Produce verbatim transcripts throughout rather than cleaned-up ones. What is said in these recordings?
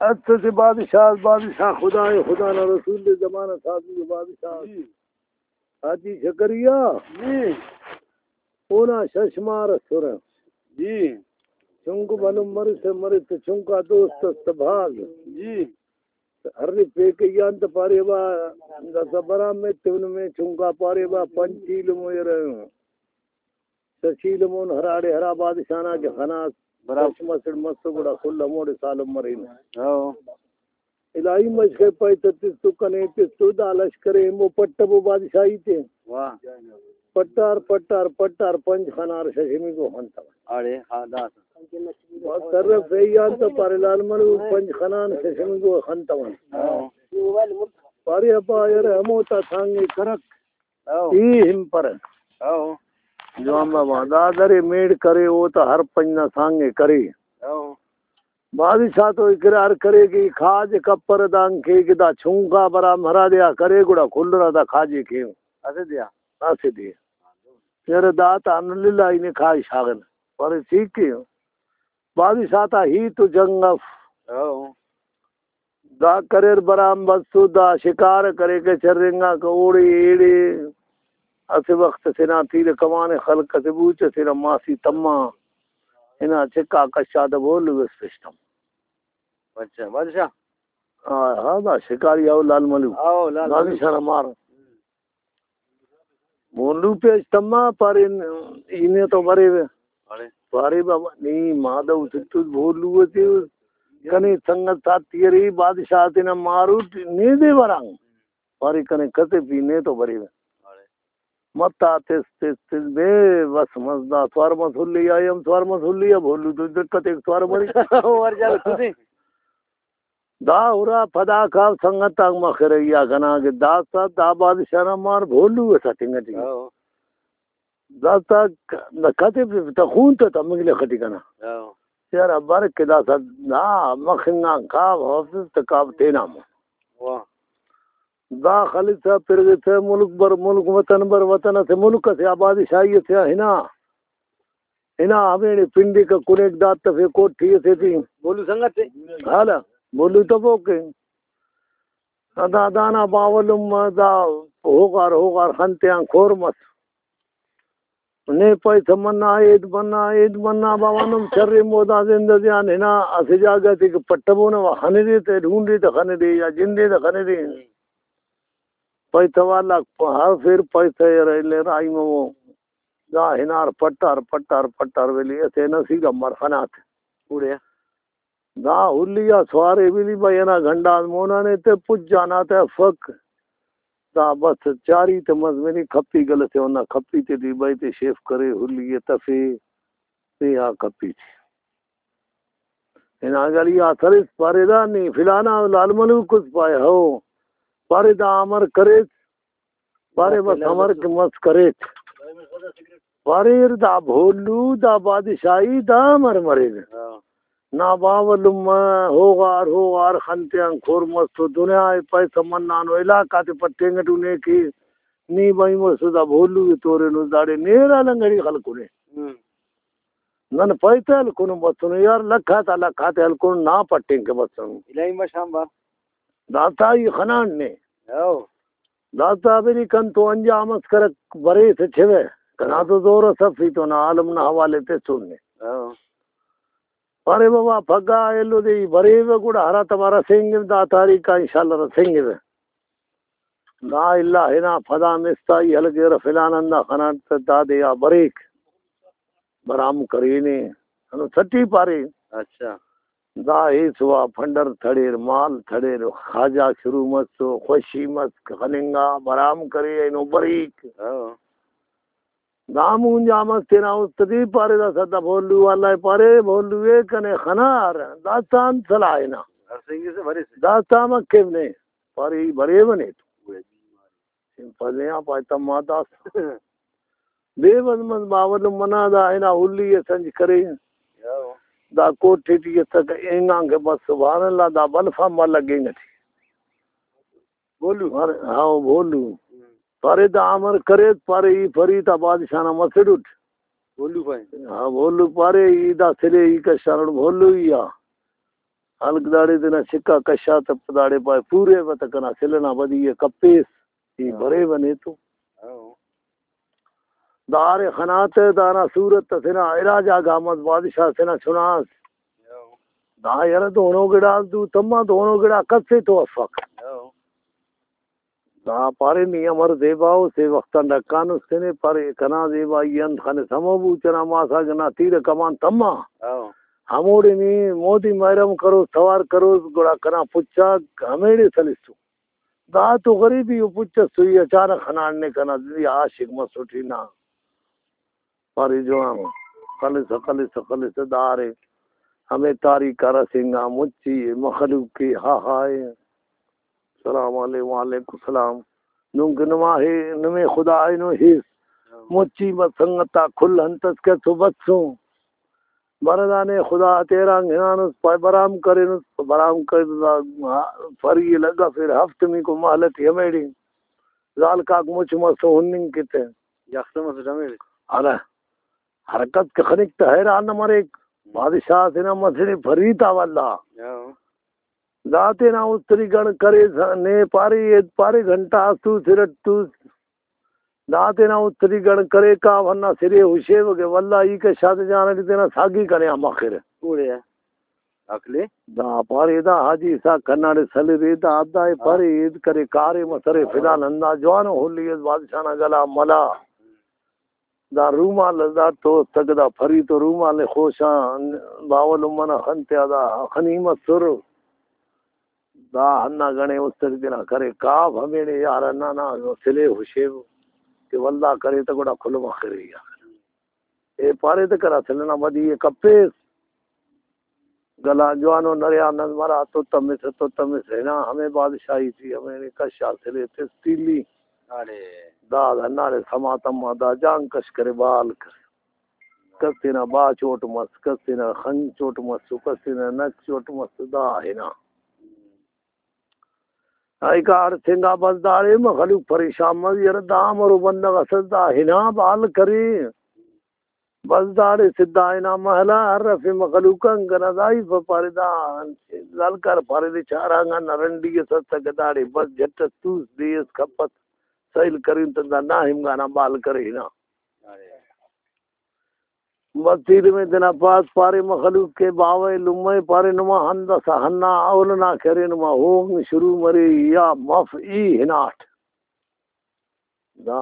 اتسے بادشاہ، بادشاہ خدا ءِ، خدا نا رسول دے زمانہ سازی ءِ بادشاہ۔ جی۔ حاجی شکریا۔ جی۔ اونا شش مار ئسرہ۔ جی۔ چنکو بھلن مرسہ، مرے تہ چنکا دوست اس تہ بھاز۔ جی۔ ہر پیکئی آن تہ پارے با، داسہ برام ایتیون میں چنکا پارے با، پنچ ایلم یرہ۔ شش ایلم ہراڑے ہرا بادشاہ نا کہ خناس، برابر۔ شش مسڑ مسو گڑا کل ہموڑے سالم مرینو۔ ہاں۔ الہی مشکل پیسہ تس تو کنے تس تو دا لشکر ایمو پٹبو بادشاہی تے۔ واہ۔ پٹار، پٹار، پٹار، پنچ خنار ششمیکو خنتون۔ اڑے، ہاں، داسہ۔ بس سر فیان تو پارے لال ملو پنچ خنان ششمیکو خنتون۔ ہاں۔ پارے ابا یار ہمو تا سانگے کرک۔ او۔ ای ہمپرہ۔ او۔ جوان بابا، دا درے میڑ کرے، او تا ہر پنچ نا سانگے کرے۔ او۔ بادشاہ تو اقرار کرے کہ ای کھاج کپر دانکے کہ دا چنکا برام ہرا دے آ کرے، گڑا کل را دا کھاجے کیو۔ اسہ دے آ۔ اسہ دے۔ یار دا تا ان للہ ای نے کھاج شاغن۔ پر ٹھیک کیو۔ بادشاہ تا ہیت و جنگ اف۔ او۔ دا کریر برام بسو، دا شکار کریکہ چرینگاکہ اوڑے ایڑے۔ اسہ وخت اسے نا تیر کمان خلق اسہ بوچ اسے نا ماسی تما۔ ہنا چکا کشا دا بولو اس پشتم۔ اچھا، بادشاہ۔ ہاں، ہاں، دا شکاری او لال ملو۔ او، لال ملو۔ بادشاہ نا مار۔ بھولو پیش تما پارے، ای نے تو بریوہ۔ اڑے۔ پارے بابا، نی مادہ اسے تو بھولو اسے، کنے سنگت ساتھی ارے، بادشاہ تینا ماروٹ، نے دے برانگ۔ پارے کنے کتے پی نے تو بریوہ۔ اڑے۔ متا تس، تس، تس، بے بس مس دا سوار مس ہلی آ، ایم سوار مس ہلی آ، بھولو تو دقت ایک سوار بری۔ ور جاگہ تو دے۔ دا ہرا پدا کا سنگت آک مخرہ یا کنا کہ داسا دا بادشاہ نا مار بھولو اس اتنگ ٹی۔ ہاں۔ داسا ک-، دا کتے پہ تا خون تا تمنگ لے خٹی کنا۔ ہاں۔ یار ابر کہ داسا دا مخنگان کاب حافظ تا کاب تینا مون۔ واہ۔ دا خلسہ پرغسہ ملک بر ملک، وطن بر وطن، اسہ ملک اسے آ بادشاہی اسے آ ہنا۔ ہنا ہمیڑے پنڈیکہ کنیک داد تفے کوٹھی اسے ٹی۔ بولو سنگت تے۔ حالا، بولو تفوک کہ۔ دا دانا باوہ لمہ دا ہوغار ہوغار خن تیان کھور مس۔ نے پیسہ منا، عید منا، عید منا، باوہ نم چرے مودا زندہ دیان ہنا اسہ جاگہ تے کہ پٹبونہ و خنے دے تے ڈھونڈے تے خنے دے یا جندے تے خنے دے۔ پیسہ والا ہر فیر پیسہ ارہ الے رائی مو۔ دا ہنار پٹار، پٹار، پٹار ویلی اسے نصیب امر خنات۔ اوڑے۔ دا ہلی آ سوارے ویلی بھائی انا گھنڈان مونا نے تے پج جانا تے افک۔ دا بس چاری تے مزمنی کھپی گلسے اونا کھپی تے ٹی بھائی تے شیف کرے ہلی ء تفے۔ تے آ کھپی تے۔ ہنا گلی آ سرس پارے دا نی فلانا لال ملوک اس پائے ہو۔ پارے دا امر کریس۔ پارے بس امر کہ مس کریک۔ پاریر دا بھولو، دا بادشاہی، دا امر مریرہ۔ ہاں۔ نا باوہ لمہ، ہوغار، ہوغار خن تیان کھر مس تو دنیا ء پیسہ منانو، علاقہ تے پٹینگ ٹو نے کہ نی بھائی مسو دا بھولو ء تورینس داڑے نیرہ لنگڑی خلکنے۔ ہم۔ نن پیسہ ہلکنن بسنن یار، لکھ آتا لکھ آتے ہلکنن، نا پٹینگ کہ بسنن۔ الہی مش آنبار۔ داسا ای خنان نے۔ ہو۔ داسا بری کن تو انجام اس کرک بریسہ چھوہ۔ کنا تو زور اس اف ای تو نا عالم نا حوالے تسن نے۔ ہو۔ پارے بابا پگہ ایلو دے ای بریوہ گڑا ہراتما رسینگو دا تاریخ آ انشاءاللہ رسینگوہ۔ دا اللہ ہنا پدا مستا ای ہلکرہ فلان ہندا خناٹ تہ دادے آ بریک۔ برام کرینے۔ ہندن سٹی پارے۔ اچھا۔ دا ایسوا پنڈر تھڑیر، مال تھڑیر، خواجہ شروع مسو، خوشی مس، خننگا، برام کرے، اینو بریک۔ ہاں۔ دا مونجا مس تینا است ٹی پارے، دا سدا بھولو والا پارے، بھولو اے کنے خنار، داسا انت سلاہ ہنا۔ ہرسینگسہ بریسہ۔ داسا مکیو نے، پارے ای بریوہ نے تو۔ سمپل نے آ پائے تما داسا۔ بے بند مس باوہ لمہ نا دا ہنا ہلی ء سنج کرے۔ دا کوٹھی ٹی اسکہ اینگان کہ بس سبحان اللہ دا بلف آنبار لگینگ ٹی۔ بھولو؟ ارے ہاں بھولو۔ ہم۔ پارے دا امر کریس، پارے ای فرید آ بادشاہ نا مسڑ اٹ۔ بھولو پائے۔ ہاں بھولو پارے ای دا سلے ای کشانٹ بھولو ای آ۔ ہلک داڑے تینا چکا کشا تہ داڑے پائے، پورے بتہ کنا سل ئنا بدی ءِ کپیس، ای ہاں۔ بریوہ نے تو۔ ہاں۔ داڑے خناتے دانا صورت تینا علاج آ گامت بادشاہ تینا چناس۔ ہاں۔ دا یرہ دونو گڑاس دو تما، دونو گڑا کسے تو افک۔ ہاں۔ دا پارے نی امر زیبا ءُ، سے وخت آن ڈکانس تینے، پارے کنا زیبائی انت خنس ہمو بوچ ئنا ماسا گنا تیر کمان تما۔ ہاں۔ ہموڑے نی مودی مہرم کروس، توار کروس، گڑا کنا پچاک ہمیڑے سلسو۔ دا تو غریبی ءُ پچ ئس تو ای اچانک خناٹ نے کنا دلی عاشق مسٹ ای نا۔ پارے جوان خلسہ، خلسہ، خلسہ دارے۔ ہمے تاریخ آ رسینگا مچی مخلوق کے ہا ہائے۔ سلام علیکم، وعلیکم السلام۔ نم کہ نما ہے، نمے خدا اینو ہیس۔ مچی بس سنگتا کل ہنتس کہ تو بسوں۔ بردانے خدا تیران ہنانس، پائے برام کرینس، برام کر فری لگا پھر ہفت می کو مہلتی ہمیڑی۔ زالکاک مچ مسو ہننگ کتے۔ یخ مسٹ ہمیڑے۔ ارا حرکت کہ خنک تہ حیران نہ مریک۔ بادشاہ تینا مسڑے فری تا واللہ۔ ہاں۔ دا تینا استری گڑ کرے س-، نے پارے، اے پارے گھنٹہ اس تو سرٹ تو۔ دا تینا استری گڑ کرے کا ہندا سرے ہشیوہ کہ واللہ ای کہ شاد جان اٹی تینا ساگی کنے آ مخرہ۔ اوڑے آ۔ عقلے۔ دا پارے دا حاجی اسحاق کھناڑے سلرے دا دا اے ہاں۔ پارے اید کرے کارے مسرے ہاں۔ فلان ہندا جوانو ہلی اس بادشاہ نا گلا ملا۔ دا رومال اس دا تو تک دا فری تو رومال ءِ خوشان باوہ لمہ نا خن تیا دا خنی مسر۔ دا ہندا گڑے استری تینا کرے کاو ہمیڑے یار ہندا نا سلے ہشیو کہ ولدا کرے تہ گڑا کل مخرے یار۔ اے پارے تہ کنا سل ئنا بدی ءِ کپیس۔ گلان جوانو نریا نن مرا تو تمسہ تو تمسہ ہنا ہمے بادشاہی ٹی ہمے نے کشا سلے تس تیلی۔ اڑے۔ داد ہنداڑے سما تما دا جان کش کرے بال کرے۔ کس تینا با چوٹ مس، کس تینا خن چوٹ مس، کس تینا نک چوٹ مس، دا ہنا۔ ای کاڑ سنگا بس داڑے مخلوق پریشان مس، یار دا مرو بندغ اسس دا ہنا بال کرے۔ بس داڑے سدھا ہنا محلہ ہر رفے مخلوق انگ کنا دائی پارے دا لالکار پارے دے چارانگا نا رنڈی اس اسکہ داڑے بس جھٹ اس توس دے اس کپس سیل کرین تن دا ناہم گانا بال کرے ہنا۔ بس تیرمے تینا پاس پارے مخلوق کے باوہ لمہ پارے نما ہندسا ہنا اول نا کرے نما ہوغ شروع مرے یا مف ای ہناٹ۔ دا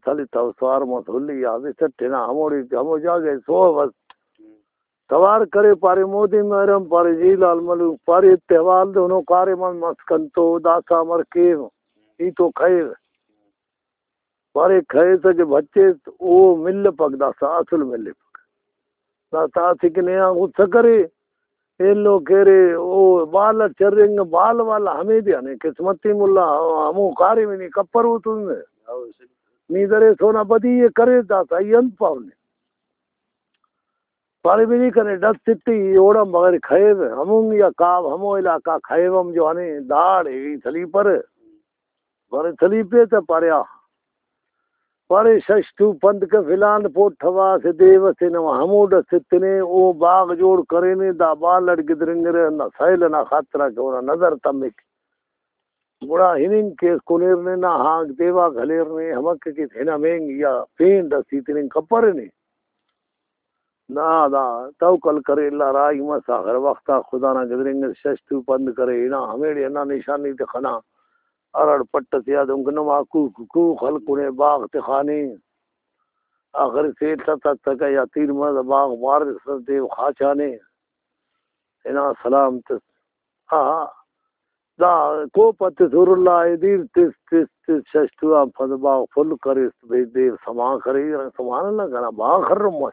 تلتو سوار مس ہلی آ بسٹ ہنا ہموڑے ہمو جاگہ ئے سوہ بس۔ توار کرے پارے مودی محرم پارے جی لال ملوک پارے اتحوال دے ہنو کارے من مس کنتو داسا امر کیو ای تو کھیو۔ پارے کھیسہ کہ بھچیس او ملپک داسا اسل ملپک۔ داسا اسہ کہ نے آن غصہ کرے۔ ایلو کہ ارے او بال اٹ چرینگ، بال والا ہمیدے آنے قسمتی ملا ہمو کاریم نی کپر اوتون نے۔ نی درے سونا بدی ءِ کرے داسا ای انت پاو نے۔ پارے بنی کنے ڈس تتی اوڑان بغیر کھیب ہمون یا کاب ہمو علاقہ کھیب ہم جو آنے داڑے ای سلیپر۔ پارے سلیپے تہ پارے آ۔ پارے شش تو پند کہ فلان پوٹھوا اسہ دیو اسے نما ہمو ڈس اتنے، او باغ جوڑ کرینے، دا بال اٹ گدرینگرہ، ہندا سیل ئنا خاطرا کہ اونا نظر تمک۔ گڑا ہننگ کیس کُنیر نے نا ہانک دیواک ہلیر نے، ہمک کہ ہنم اینگ یا پین ڈس ای تننگ کپرہ نے۔ نا دا توکل کرے اللہ راہی مس، آخر وخت آ خدا نا گدرینگ اس شش تو پند کرے، ہنا ہمیڑے ہندا نشانی تے خنا۔ ہرڑ پٹ ئسے آ دنکہ نما کوک، کوک ہلکنے، باغ تخانے۔ آخر سیل تتکہ یا تیر مرہ باغ بارسہ دیو خاچانے۔ ہنا سلام تس۔ آہا۔ دا کوپہ تس ہر اللہ ءِ دیر تس، تس، تس، شش تو آن پد باغ پھل کریس، بھئی دیو سما کرے، سبحان اللہ، کنا باغ خرن مس۔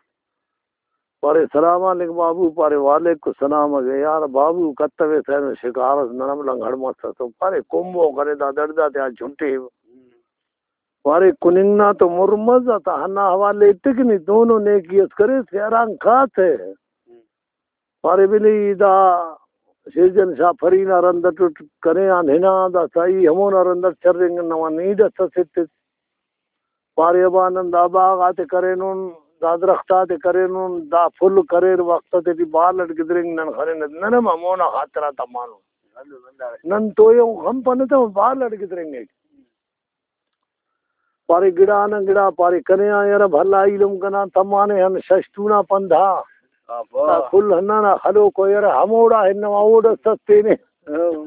پارے، سلام علیک بابو۔ پارے، وعلیک السلام۔ اگہ یار بابو کتویس اینو شکار اس نن ہم لنگڑ مسسو۔ پارے، کمبو کرے دا دڑد آتیا چھٹے۔ پارے، کننگ نا تو مر مس، دا تا ہندا حوالے ایتک نی دونو نیکی اس کریس کہ ہرانگ کاتہ۔ پارے، بلے ای دا شیرجان شاہ پری نا رند اٹ اٹ کنے آن ہنا، داسا ای ہمونا رند اٹ چرینگ نما نیڈ اس اسٹ۔ پارے، ابا نن دا باغ آتے کرینن، دا درخت آتے کرینن، دا پھل کریر، وخت آتیٹی بال اٹ گدرینگ نن خننہ، نن ہم ہمونا خاطر آ تمانن۔ نن تو ای ہم خنپنہ تہ بال اٹ گدرینگک۔ پارے گڑا نا گڑا، پارے کنے آ یرہ بھلا ایلم کنا تمانے ہن ششتو نا پندھا۔ آبا۔ دا کل ہندا نا خلوکو یرہ ہموڑا ہنوا اوڑس تس تینے۔ ہاں۔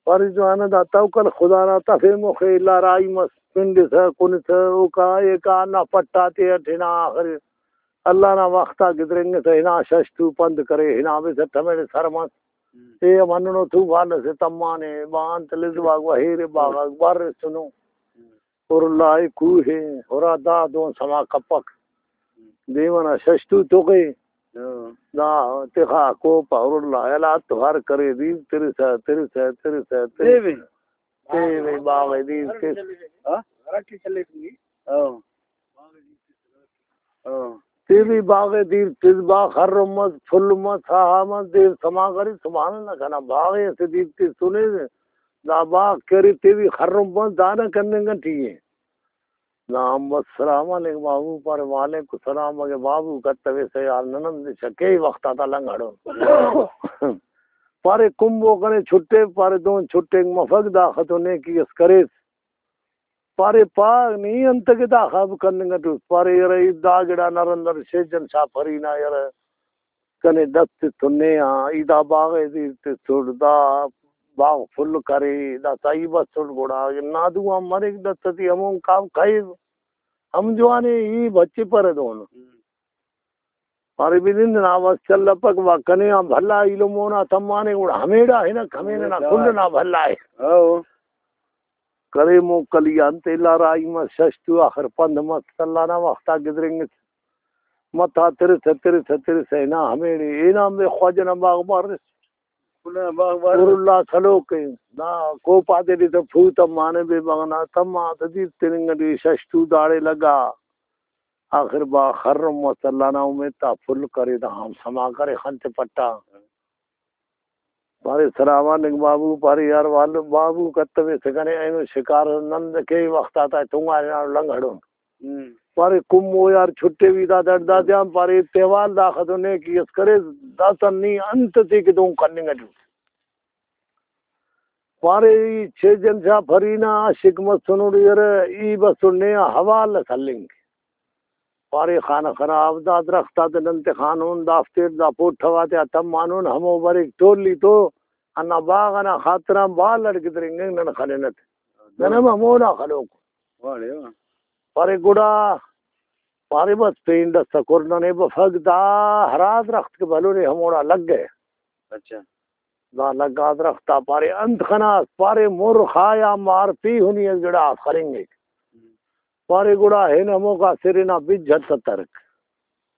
پارے جوانہ دا توکل خدا نا تفے مخے الا راہی مس پنڈسہ کنسہ اوکا ایکا ہندا پٹ آتے اٹ ہنا آخر اللہ نا وخت آ گدرینگسہ ہنا ششتو پند کرے، ہنا بس اٹ ہمیڑے سر مس۔ ہم۔ تے ہم ہندنو طوفان اسے تمانے، با انت لزواک و ہیرے باغاک بارسنو۔ ہم۔ ہر اللہ ءِ کوہ ءِ ہرا دا دون سما کپک۔ ہم۔ دیوان آ ششتو تغے۔ ہاں۔ دا تخا کوپہ ہر اللہ الا تو ہر کرے دیر ترسہ، ترسہ، ترسہ، ترسہ۔ دیوے۔ تیوے باغ ءِ دیر تس۔ ہاں؟ ہاں۔ ہاں۔ تیوی باغ ءِ دیر تس، باغ خرن مس، پھل مس، ساہا مس، دیر سما کرے، سبحان اللہ کنا، باغ ءِ اسہ دیر تسنے، دا باغ کہ ارے تیوی خرن مس، دانا کننگ ٹی ءِ۔ نام بس سلام علیک بابو، پارے وعلیکم السلام، اگہ بابو کتویسہ یار، نن ہم دچہ کیہی وخت آتا لنگڑون۔ پارے کمبو کنے چھٹے، پارے دہن چھٹینگ مفک، داخہ تو نیکی اس کریس۔ پارے پاغ نی انت کہ دا خب کننگ اٹ اُس؟ پارے یرہ ای دا گڑا نرندر شیجن شاہ پری نا یرہ کنے ڈس تتون نے آ، ای دا باغ ءِ دیر تسٹ، دا باغ پھل کرے، دا سہی بسٹ گڑا نادو آن مریک ڈس ٹی ہمون کاو کھیو ہم جوانے ای بچپرہ دون۔ پارے بنند نا بس چلپک وا کنے آن بھلا ایلم اونا تمانے گڑا ہمیڑا ہنک، ہمے ننا کل نا بھلا ءِ۔ ہاں۔ کرے موکل ای انت الا راہی مس شش تو آخر پند مس اللہ نا وخت آ گدرینگس۔ متھا ترسہ ترسہ ترسہ ہنا ہمیڑے ہنا ہمے خواجہ نا باغ بارس۔ خواجہ نا باغ بارس۔ نور اللہ سلوک ءِ۔ نا کوپہ آتیٹی تہ پھو تمانے بے بغنا تما تہ دیر تننگ ٹی شش تو داڑے لگا۔ آخر با خرن مس اللہ نا امیت آ پھل کرے، دا ہم سما کرے خن تے پٹا۔ پارے سلام علیک بابو، پارے یار والو بابو کتویسہ کنے اینو شکار نن کیہی وخت آتا تنگا ہنانو لنگڑون۔ ہم۔ پارے کمو یار چھٹیوی دا دڑدا تیان، پارے ایتے حوال داخہ تو نیکی اس کرے، داسہ نی انت تے کہ دہن کننگ اٹی۔ پارے ای چیجن شاہ پری نا عاشق مسنٹ یرہ، ای بسٹ نے آ حوال اس ہلنگ۔ پارے خانہ خراب، دا درخت آتے نن تخانون، دافتے دا پوٹھو آتیا تمانون، ہمو بریک ٹولی تو ہندا باغ ئنا خاطران بال اٹ گدرینگنگ نن خننہ تے۔ نن ہم ہمونا خلوک۔ واہ۔ پارے گڑا، پارے بس پین ڈس کر ننے بفک، دا ہرا درخت کہ بھلنے ہموڑا لگہ۔ اچھا۔ دا لگا درخت آ پارے انت خناس؟ پارے مر خایا مار پیہنی اس گڑاس خلنگک۔ پارے گڑا ہن ہموکا سر ئنا بج ہتترک۔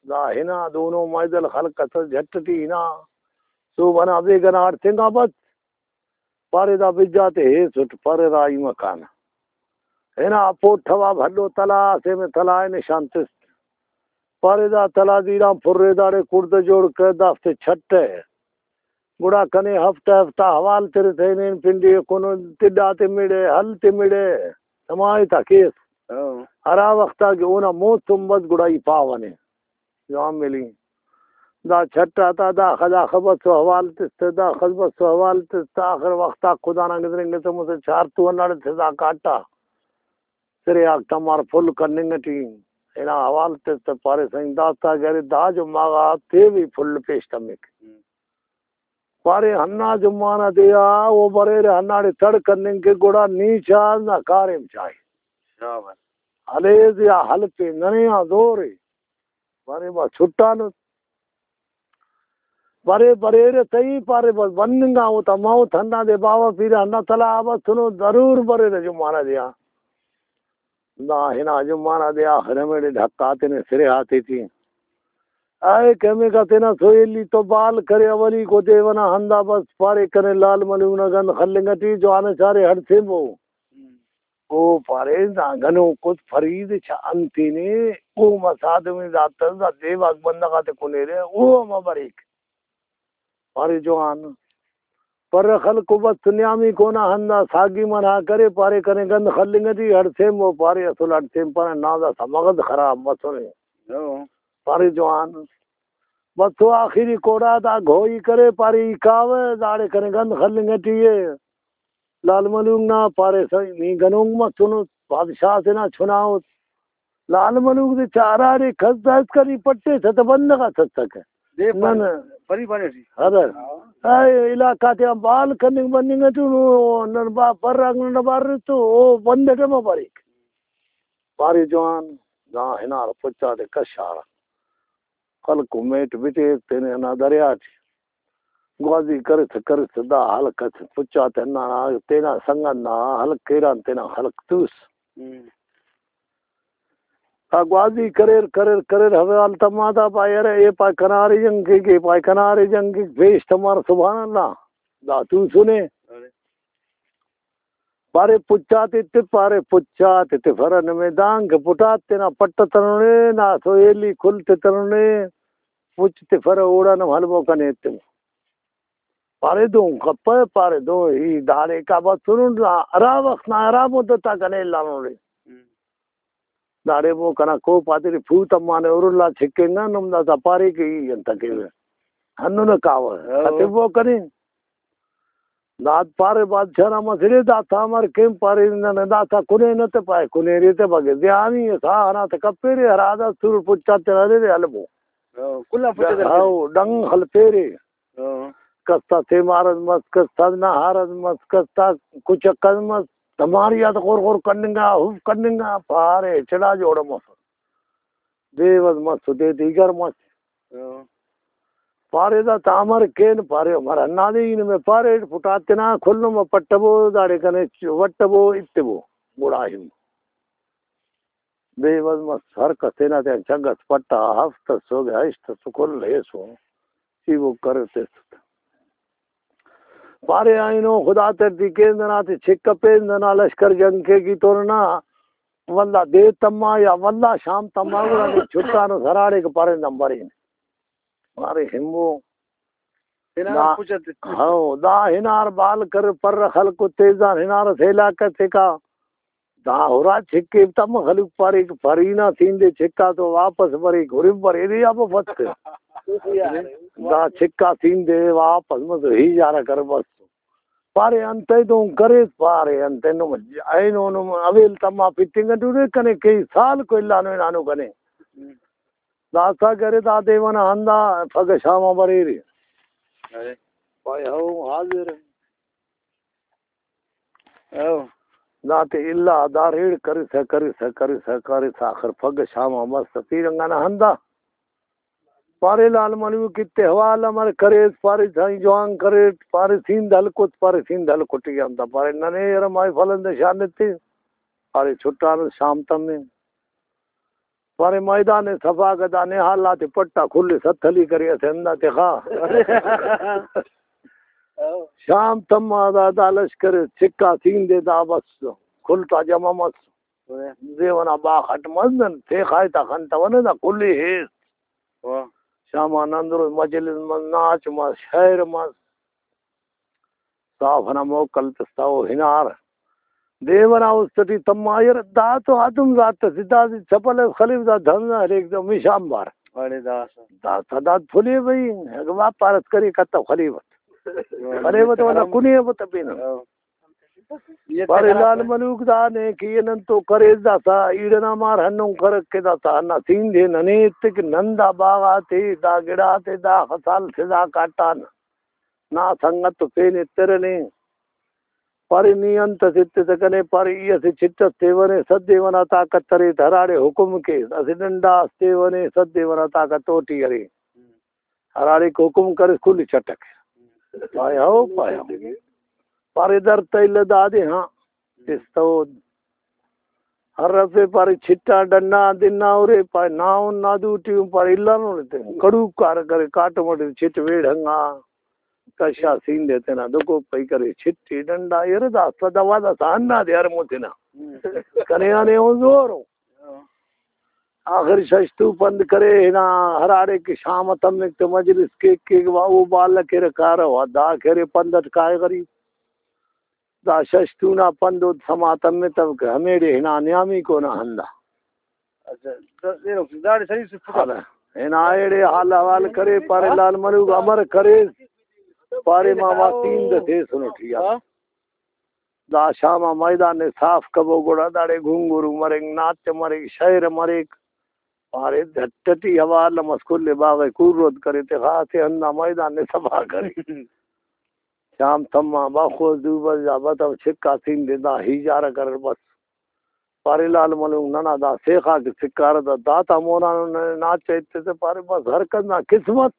دا ہنا دونو میدل خلک اسس جھٹ ٹی ہنا سہب ئنا بیگہ نا اڈتنگا بس۔ پارے دا بج آتے ہیسٹ، پرے راہی مکانہ۔ ہنا پوٹھوا بھلو تلا اسے، میں تلا ءِ نشان تس۔ پارے دا تلا دیر آن پرے، داڑے کڑدہ جوڑ کر دافتے چھٹہ۔ گڑا کنے ہفتہ ہفتہ حوال ترسہ ہنین پنڈی کن، تڈ آتے مڑہ، ہل تے مڑہ، سمائی تا کیس۔ ہاں۔ ہرا وخت آ کہ اونا موسم بس گڑا ای پاوہ نے۔ جوان ملی۔ دا چھٹ آتا داخہ داخہ بسو حوال تس تہ، داخہ بسو حوال تس تہ، آخر وخت آ خدا نا گدرینگسہ مسہ چار تو ہنداڑے تہ دا کاٹا۔ سرے آک تمار پھل کننگ ٹی ہنا حوال تس تہ پارے سنگ داستا کہ ارے دا جمعہ غا تیوی پھل پیش تمک۔ پارے ہندا جمعہ نا دے آ او بریرہ ہنداڑے تڑ کننگ کہ گڑا نی چا نا کاریم چائے۔ شاباش۔ ہلیس یا ہلپے ننے آ زورے۔ پارے با چھٹانس۔ پارے بریرہ صحیح، پارے بس بننگا او تا موت ہندادے باوہ پیرہ ہندا تلا آ بسنو، ضرور بریرہ جمعہ نا دے آ۔ دا ہنا جمعہ نا دے آ آخر ہمیڑے ڈھکا تینے سرے آتے ٹی۔ اے کمیکا تینا سویلی تو بال کرے اولیکو دے ونا ہندا بس پارے کنے لال ملنگ نا گند خلنگ ٹی جوان چارے ہڑسیمبو۔ او پارے، دا گنوکوس فرید چا انتینے، او مسا آدمی دا تس، دا دیواک بندغ آتے کنیرہ، او ہم بریک۔ پارے جوان۔ پر خلکو بس نیامی کونا ہندا ساگی منع کرے، پارے کنے گند خلنگ ٹی ہڑسیمبو، پارے اسل ہڑسیمپنہ نا داسہ مغز خراب مسنے۔ ہو۔ پارے جوان۔ بس تو آخری کوڑا دا گھوئی کرے، پارے ای کاوہ، داڑے کنے گند خلنگ ٹی ءِ۔ لال ملوک نا پارے سا-، نی گنوک مسنس، بادشاہ تینا چنا اُس۔ لال ملوک دے چا ہراڑے کس دائسکا نی پٹیسہ تہ بندغ آ تسکہ۔ دے نن پارے، پری پارے ٹی۔ ہرا۔ اے علاقہ تیان بال کننگ مننگ ٹی نو نن با-، برانگ نن بار تو او بند اٹ ہم بریک۔ پارے جوان، دا ہنار پچ آتے کشارہ۔ خلکو میٹ بٹیر تینے ہنا دریا ٹی۔ گوازی کرسہ کرسہ دا ہلک اس پچ آتے ہنانا، تینا سنگت نا ہلک کیران تینا ہلک توس۔ ہم۔ دا گوازی کریر کریر کریر، حوال تما دا پائے، ارے اے پائے کنارے جنگ کیک، اے پائے کنارے جنگ کیک، پیش تمار سبحان اللہ۔ دا توسنے۔ ارے۔ پارے پچ آتے تف، پارے پچ آتے تفرہ نمے دانکہ پٹات تینا پٹ تننے، نا سو ایلی کل تے تننے، پچ تفرہ اوڑان ہم ہلبو کنے ایتمو۔ پارے دون کپہ، پارے دون ای داڑے کا بسرن، ہرا وخت نا ہرا مدت آ کنے الانو نے۔ ہم۔ داڑے مون کنا کوپ آتیٹی پھو تمانے، ارلا چھکنگا، نم داسا پارے کہ ای انت کیوہ؟ ہندن کاوہ۔ ہاں۔ ختبو کنے۔ داد پارے بادشاہ نا مسڑے، داسا امر کین؟ پارے نن داسا کنینہ تہ پائے کنیرے تہ بگے زیانی ساہ ئنا تہ کپیرے، ہرا دا سر پچا تینا دے دے البو۔ ہاں، کل آن پچا تینا دے دے۔ ہاو، ڈنگ خلپیرے۔ ہاں۔ کس تا سیمار اس مس، کس تا نہار اس مس، کس تا کچک اس مس، دماریات غر غر کننگا، ہف کننگا، پارے چڑا جوڑ مس۔ دیو اس مس، دے دیگر مس۔ ہاں۔ پارے دا تا امر کین؟ پارے امر ہندادے ای نمے پاریٹ، پٹات تینا کھلنو ما پٹبو، داڑے کنے چ-، وٹبو، اتبو، گڑا ہم۔ بے وس مس، ہر کس تینا تیان چنگ اس پٹا، ہفت اس سوگہ، ہشت اس کل ایسو، چیبو کر تس۔ پارے آئینو خدا ترتی کین دنا تے چھک کپین، دنا لشکر جنگ کے کی تو ننا ولدا دے تما یا ولدا شام تما گڑا نی چھٹانس ہراڑے کہ پارے نن برین۔ پارے ہمو تینا دا، پوچہ تے۔ ہاں، دا ہنار بال کر پر خلکو تیزان ہنار اس علاقہ تیکا۔ دا ہرا چھکے تم خلوق پاریک، پری نا سین دے چھکا تو واپس بریک، ہرف بریرے آ بفت۔ دا چھکا سین دے واپس مس ہی جارہ کر بس۔ پارے انتئے دون کریس؟ پارے انتئے نم اینو نم اویل تما پتنگ ٹورے کنے کئی سال کو الانو ہنانو کنے۔ داسا کرے دا دیوان آ ہندا پگہ شام آ بریرے۔ ارے۔ پائے ہو حاضر۔ او۔ دا تے الا دا ریڑ کرسہ، کرسہ، کرسہ، کرسہ، آخر پگہ شام آ مس پیرنگ ئنا ہندا۔ پارے لال ملوک ایتے حوال امر کریس؟ پارے سائیں جوان کریٹ، پارے سیند ہلکت، پارے سیند ہلکٹی آن تا، پارے ننے یرہ مائے فلند شان ایتے، پارے چھٹانس شام تمے۔ پارے میدان صفا کہ دا نہال آتے پٹا کل ستھلی کرے اسہ ہندا تخا۔ شام تما دا، دا لشکر چھکا سین دے دا بس کل تا جمع مس۔ زیونا باخ اٹ مس نن تیخا تا خنتونے دا کل ہیس۔ واہ۔ شام آن اندرو مجلس مس، ناچ مس، شئیر مس۔ صاف ئنا موکل تس تا او ہنار۔ دیو ئنا است ٹی تما یار دا تو آدم ذات اسے، دادے چپل اس خلیو، دا دھن نا ہلیک دا مشان بار۔ اڑے داسہ۔ داسہ داد پھلیو بھئی، اگہ واپار اس کرے کتو خلیوت۔ خلیوت ولا کنے بت پینہ۔ ہاں۔ پارے لال ملوک دا نے کہ نن تو کریس داسہ ایڑ ئنا مار ہندن کرک کہ داسہ ہندا سین دے ننے ایتک نن دا باغ آتے، دا گڑاتے، دا خسال سے دا کاٹان۔ نا سنگت تو پین ایترہ نے۔ پارے نی انت اس ایتسہ کنے؟ پارے ای اسہ چٹ اس تیونے، صد دیوان آ طاقت ارے تہ ہراڑے حکم کیس، اسہ ڈنڈا اس تیونے، صد دیوان آ طاقت اوٹی ارے۔ ہراڑے کہ حکم کریس کل چٹک۔ پائے ہو، پائے ہو۔ پارے در تہ الہ دادے ہاں۔ استود۔ ہر رفے پارے چٹا ڈنڈا دنا ارے، پائے ناہن نا دوٹی ہم پارے الانو نے تے۔ کڑوک کار کرے کاٹم اٹی چٹ ویڑ ہنگا۔ کشا سین دے تینا دکو پئی کرے چٹی ڈنڈا، یرہ داسہ دوا داسہ ہندا دے ہر متنا۔ کنے آنے اون زورو۔ آخر ششتو پند کرے ہنا، ہراڑے کہ شام تمک تہ مجلس کیک کیک وا او بال کیرہ کارہ وا دا کرے پند اٹ کائے غریب۔ دا ششتو نا پند اود سما تمتو کہ ہمیڑے ہنا نیامی کو نا ہندا۔ اچھا، دا-، داڑے سلیس پٹا۔ ہاں، ہنا ایڑے حال احوال کرے، پارے لال ملوک امر کرے، پارے ماما تین دے تیسنٹ یا۔ ہاں۔ دا شام آ میدان ءِ صاف کبو، گڑا داڑے گھنگرو مرنگ، ناچ مریک، شئیر مریک۔ پارے جھٹ ٹی حوال مس، کل باغ ءِ کور رد کرے، تخا اسہ ہندا میدان ءِ صفا کرے۔ شام تما بخوس دو بجہ آ بتو، چھکا سین دے دا ہیجارہ کریر بس۔ پارے لال ملنگ ننا دا سیخا کہ سکارہ دا داتا مونانو ننے ناچ ایتسہ، پارے بس ہر کس نا قسمت۔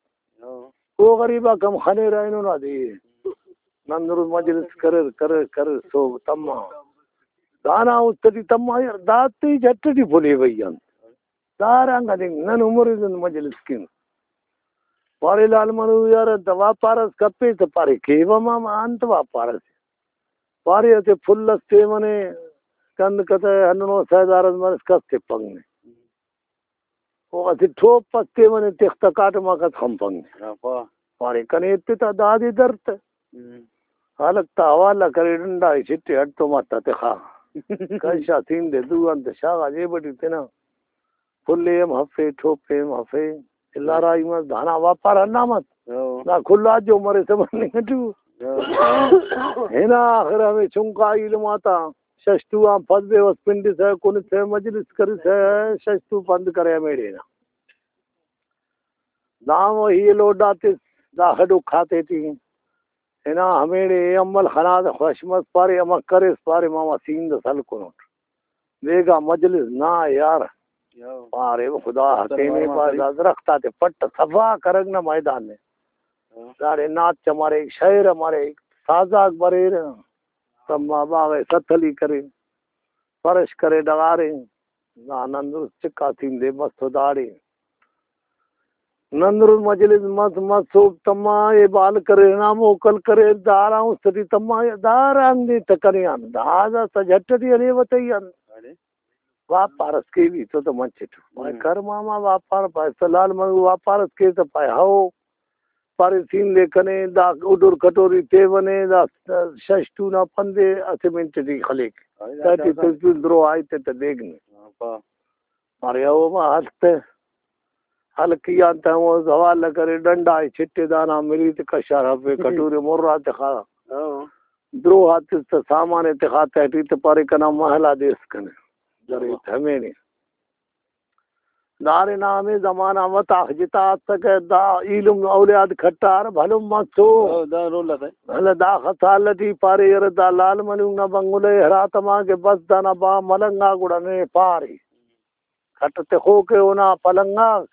ہاں۔ او غریب آک ہم خنیرہ اینو نا دے۔ نن درست مجلس کریر، کریر، کریر، سہب تما۔ دانا است ٹی تما یار، دا تے جٹ ٹی پھلیوئی انت۔ دارانگا دنگ نن عمر زند مجلس کن۔ پارے لال منو یار، انت واپار اس کپیس؟ تہ پارے کیوہ ماما، انت واپار اس؟ پارے اسہ پھل اس تیونے، کند کتہ ہندنو سیدار اس مرس، کس تپنگ نے۔ او اسہ ٹوپ اس تیونے، تختہ کاٹم آ کس خنپنگ نے۔ ہاں، پا۔ پارے کنے ایتتہ دادے در تہ۔ ہم۔ خلق تا حوالہ کرے، ڈنڈا ئے چھٹے، ہٹ تو ماتا تخا۔ کشا سین دے دو انت شاغا جیب ٹی تینا۔ پھل ءِ ہم ہفے، ٹوپ ءِ ہم ہفے، الا راہی مس، دانا واپار ہندا مس۔ ہاں۔ دا کل آ جو مریسہ مننگ ٹی۔ ہاں۔ ہنا آخر ہمے چنکا ایلم آتا ششتو آن پد بیوس پنڈسہ، کنسہ، مجلس کرسہ، ششتو پند کرے ہمیڑے نا۔ دا وہی لوڈ آتس، دا خڈک آتے ٹی۔ ہنا ہمیڑے اے عمل خنا تہ خوش مس، پارے امر کریس؟ پارے ماما سین دس ہلکنٹ۔ بیگا مجلس نا یار۔ یو۔ پارے خدا حکیم ءِ، پارے دا درخت آتے پٹ صفا کرک نا میدان نے۔ ہاں۔ داڑے ناچ مریک، شئیر مریک، سازاک بریرہ، تما باغ ءِ ستلی کرے، فرش کرے ڈغارے۔ نا نن درست چکا تین دے مس تو داڑے۔ نن درست مجلس مس، مس سہب تما، اے بال کریر، ہنا موکل کریر، داران است ٹی تما، داران دے تہ کنے آن، دا داسہ جھٹ ٹی ہلیوہ تئی آن۔ اڑے۔ واپار اس کیوی تو تہ منچٹ۔ پائے ہم۔ کر ماما واپار، پائے سلال منو واپار اس کے تہ پائے ہو۔ پارے سین دے کنے، دا اڈر کٹوری تیونے، دا شش تون آ پندے اسہ منٹ ٹی خلیک۔ ہاں، تہٹی دا تسپین درو آئی تے تہ دیگ نے۔ ہاں، پا۔ پارے او ما ہلک تہ۔ ہلکی آن تہ ہمو حوالہ کرے، ڈنڈا ئے چھٹے دانا ملی تہ کشار ہفے، کٹورے مر آ تخا۔ ہاں۔ درو آتس تہ سامان ئے تخا تہٹی تہ پارے کنا محل آ دیس کنے۔ درے تہ ہمینے۔ دارے نا ہمے زمانہ متاخ جتا اسکہ، دا ایلم اولیاد کھٹار بھلن مسو۔ او، دا رول آتا۔ ولدا داخہ سال ٹی پارے یار دا لال ملنگ نا بنگلہ ءِ ہراتما کہ بس دانا با ملنگا گڑا ننے پارے۔ کھٹ تخوکے اونا پلنگ آک۔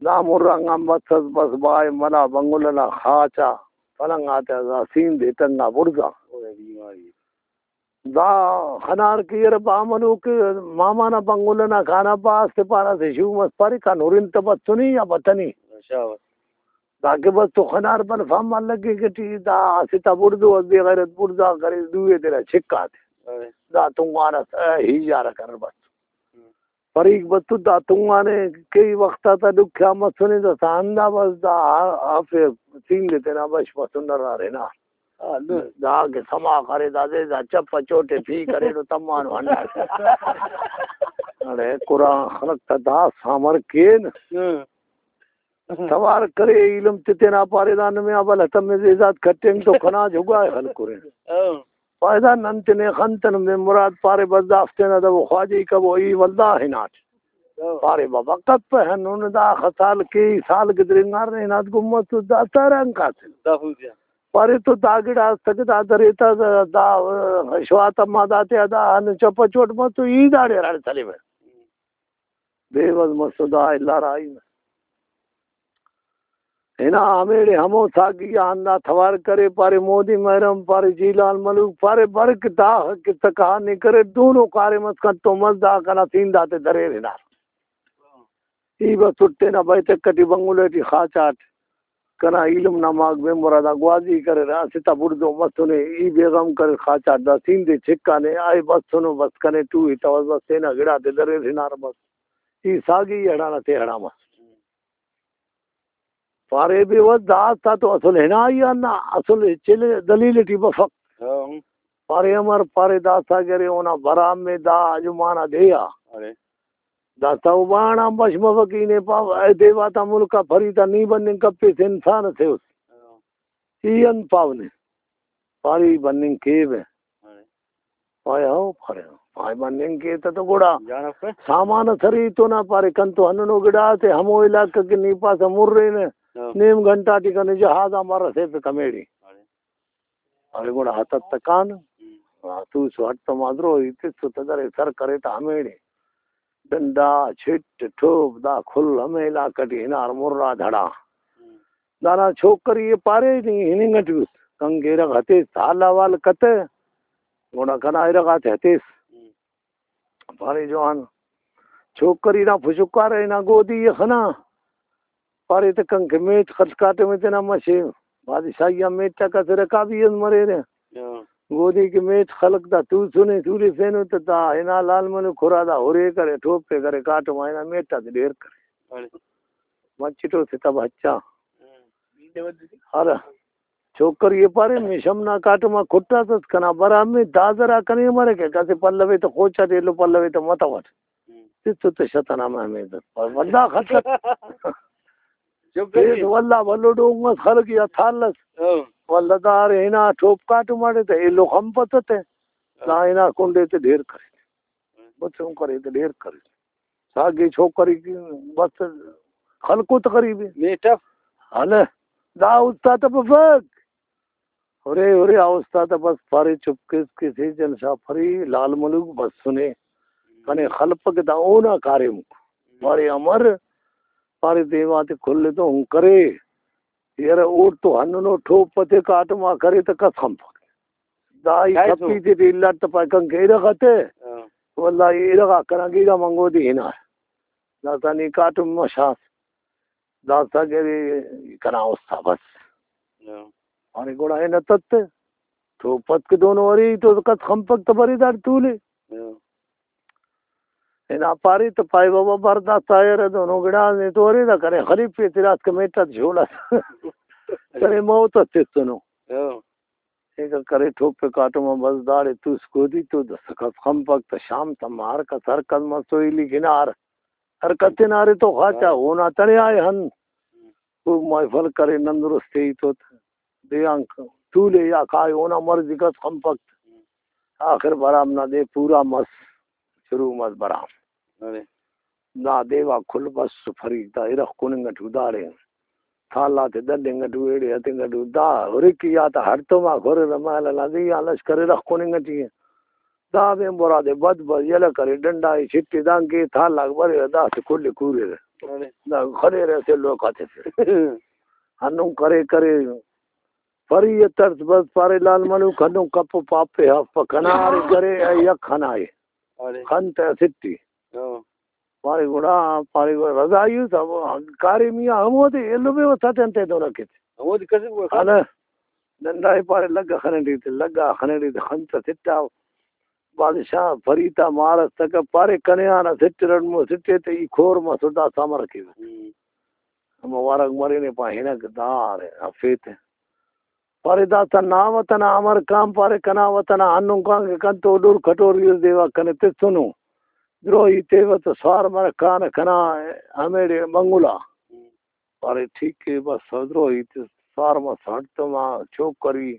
دا مرنگ آن بس اس، بس بائے ملا بنگلہ نا خاچا پلنگ آتیا دا سین دے تنگا بڑزا۔ دا خنار کہ یرہ با منوک ماما نا بنگلہ نا کھانا با اسہ پارہ اسہ شوم اس پارے کان ہرن تہ بسنے یا بتنے۔ شاباش۔ داکہ بس تو خنار بلفا ما لگیک ٹی دا اسہ تا بڑزو اس، بے غیرت بڑزا کرے، دوئے تینا چھکا تے۔ اوے۔ دا تنگوان اس، اے، ہیجارہ کریر بس۔ ہم۔ فریق بتو دا تنگانے، کئی وخت آتا ڈکھیا مسنے، داسہ ہندا بس دا ہفے سین دے تینا بش مسن نرار ہنار۔ ہاں، نو۔ دا کہ سما کرے دادے، دا چپ چوٹے پی کریڈو تمانو ہنڈا۔ اڑے قرآن خلق تا دا سامر کین۔ ہاں۔ توار کرے ایلم تے تینا پارے دا نمے آ بل ہتم زیزات کھٹینگ تو کنا جھگا خلکرے۔ ہاں۔ پائے دا نن تینے خنتن بے مراد پارے بس دافتے نا دبو خواجہی کبو ای ولدا ہناٹ۔ ہاں۔ پارے بابا کپ ہنون دا خسال کے سال گدرینگار نے ہنات گمت دا تران کاتن۔ دا ہو جا۔ پارے تو دا گڑا اسکہ دا دریتا دا، دا شوات ما داتے دا ہن چپ چوٹ مس تو ای داڑے ہراڑے سلیوہ۔ بے وس مسو دا الا راہی مس۔ ہنا ہمیڑے ہمو ساگی آ ہندا توار کرے، پارے مودی محرم، پارے جیلان ملوک، پارے برک دا قصہ کہانی کرے، دونو کاریم اس کنتو مس دا کنا سین داتے دریر ہنار۔ ای بس تٹینہ بیٹھک ٹی بنگلہ ٹی خاچاٹ۔ کنا ایلم نا ماک بے مرادا گوازی کریرہ، اسہ تا بڑزو مسنے، ای بے غم کریر، خاچاٹ دا سین دے چھکانے، آئے بسنو، بس کنے ٹو ہتوس، بس تینا گڑاتے دریر ہنار بس۔ ای ساگی ای ہڑانا تے ہڑا مس۔ پارے بے وس داستا تو اصل ہنائی آن نا، اصل ہچ دلیل ٹی بفک۔ ہاں۔ پارے امر، پارے داستا گرے اونا برام میں دا جمعہ نا دے آ۔ ارے۔ داستا او بانڑ آن بش مفک، ای نے پاو، اے دیواتا ملک آ فریدا نی بننگ کپیس، انسان اسے اس۔ ای انت پاو نے؟ پارے ای بننگ کیوہ۔ پائے ہو، پارے ہو۔ پائے بننگ کے تہ تو گڑا جان افے۔ سامان اس ارے تو نا، پارے کنتو ہندنو گڑا تے ہمو علاقہ کہ نی پاسہ مرینہ، ہاں۔ نیم گھنٹہ ٹی کنے جہاز آن بار رسیفک ہمیڑے۔ ارے گڑا ہتتکان، ہم۔ ہاں، توسو ہڑتوما درو، ای تسو تہ درے سر کرے تہ ہمیڑے۔ ڈنڈا، چھٹ، ٹوپ، دا کل ہمے علاقہ ٹی ہنار مراد ہڑا۔ ہم۔ دانا چھوکری ئے پارے نی ہننگ ٹی اس، کنکہ ارغ ہتیس، حال احوال کتہ، گڑا کنا ارغ آتے ہتیس۔ ہم۔ پارے جوان، چھوکری نا پشکارہ ہنا گودی ئے خنا۔ پارے تہ کنکہ میٹ خل کاٹم ئے تینا مشے، بادشاہی آ میٹ آک اسہ رکابی اس مریرہ۔ ہاں۔ گودی کہ میٹ خلک دا توسنے، تولفینو تہ دا ہنا لال ملک ہرا دا ہرے کرے، ٹوپے کرے، کاٹم آ ہنا میٹ آتے ڈھیر کرے۔ بڑے۔ مچٹو سے تب ہچا۔ ہاں۔ ہرا۔ چھوکری ئے پارے، مشم نا کاٹم آ کٹاسس، کنا برام ئے، دا زرا کنے مرکہ، کسے پلوے تہ خوچاٹ، ایلو پلوے تہ متوٹ۔ ہم۔ تس تو تہ شتنا مہمیز اس۔ پر ولدا خلک۔ چھوکری۔ تیس ولدا بھلو ڈونگ اس خلک یا تھال اس۔ ہاں۔ ولدا دار ہنا ٹوپ کاٹم آٹے تہ ایلو خمپتہ تہ۔ ہاں۔ دا ہنا کنڈے تہ ڈھیر کرے۔ ہاں۔ بس ہم کرے تہ ڈھیر کرے۔ ساگی چھوکری کی بس خلکو تقریبی۔ میٹف۔ ہلہ، دا استاد بفک۔ ہرے ہرے آ استاد بس پارے چپ کیس کیس، جلسہ پری لال ملک بسنے۔ کنے خلپک دا اونا کاریم۔ پارے امر، پارے دیواتے کل تو ہن کرے۔ یرہ اوڑتو ہندنو ٹوپ تے کاٹم آ کرے تہ کس خنپک۔ دا ای کائسو۔ کپی تے ڈیلہ تے پائے کنکہ ارغ تے۔ ہاں۔ واللہ ارغ آ کنا گڑا منگو دی ہنا۔ داسا نی کاٹم مشاس۔ داسا گڑے کنا استا بس۔ ہاں۔ ارے گڑا ہنا تت۔ ٹوپ تے دونو ارے تو کس خنپک تہ برے داڑے تولے۔ ہاں۔ ہنا پارے تہ پائے بابا برداشت آ ارے دونو گڑاس نے تو ارے دا کرے خلیفے تیراس کمیٹہ جوڑا۔ کرے موت تتنو۔ ہاں۔ ایکا کرے ٹوپے کاٹم آ بس داڑے توس گودی تو دس کس خنپک تہ شام تما ہر کس ہر کس مسوئی لکھنار۔ ہر کس تینا ارے تو خاچا ہاں۔ اونا تڑے آئے ہن۔ ہم۔ او محفل کرے نن درست ہی تو دے آن تولے یا کائے اونا مرضی کس خنپک۔ ہم۔ آخر برام نا دے پورا مس، شروع مس برام۔ ارے۔ دا دیوا کل بس فریق دا ارغ کننگ ٹی داڑے۔ تھالا تے دننگ ٹو ایڑے ہتنگ ٹو دا ہرکی آتا ہڑتوما کھرے دا مال نا دی آ لشکر ارغ کننگ ٹی۔ دا بین برا دے بد بد یلہ کرے ڈنڈا ای چھٹی دانکہ تھالاک بریرہ داسہ کل ای کوریرہ۔ ارے۔ دا خلیرہ اسہ لوکا تفرہ۔ ہندن کرے کرے فری ء تڑس بس پارے لال ملوک ہندن کپ و پاپے ہرفپہ کنا ارے کرے ای یک خنائے۔ ارے۔ خن تہ اسٹ ای۔ ہاں۔ پارے گڑا، پارے گڑا رضا ایوس ہمو کاریمی آ ہمودے ایلو بے وس آتے انتئے دورہ کیتے۔ ہمودے کسر گڑا خن۔ ہنہ۔ ڈنڈا ای پارے لگا خننگ ٹی تے، لگا خننگ ٹی تے خن تہ سٹا۔ بادشاہ فریتا مار اس تکہ پارے کنے آن اسٹ رڑمو سٹے تہ ای کور مسٹ داسا امر کیوہ۔ ہم۔ ہمو ورگ مرینے پا ہنک دار افیتے۔ پارے داسا نا وطن آ امر کان، پارے کنا وطن آ ہندن کان کہ کنتو ڈر کھٹوری اس دیوا کنے تسنو۔ دروہی تیوہ تہ سوار مرک کانہ کنا ہمیڑے منگلا۔ پارے ٹھیک ء بس دروہی تس سوار مس ہڑتوما چوکری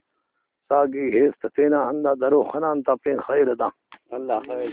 ساگی ہیس تہ تینا ہندا درو خنان تا پین خیر ادا۔ اللہ خیر۔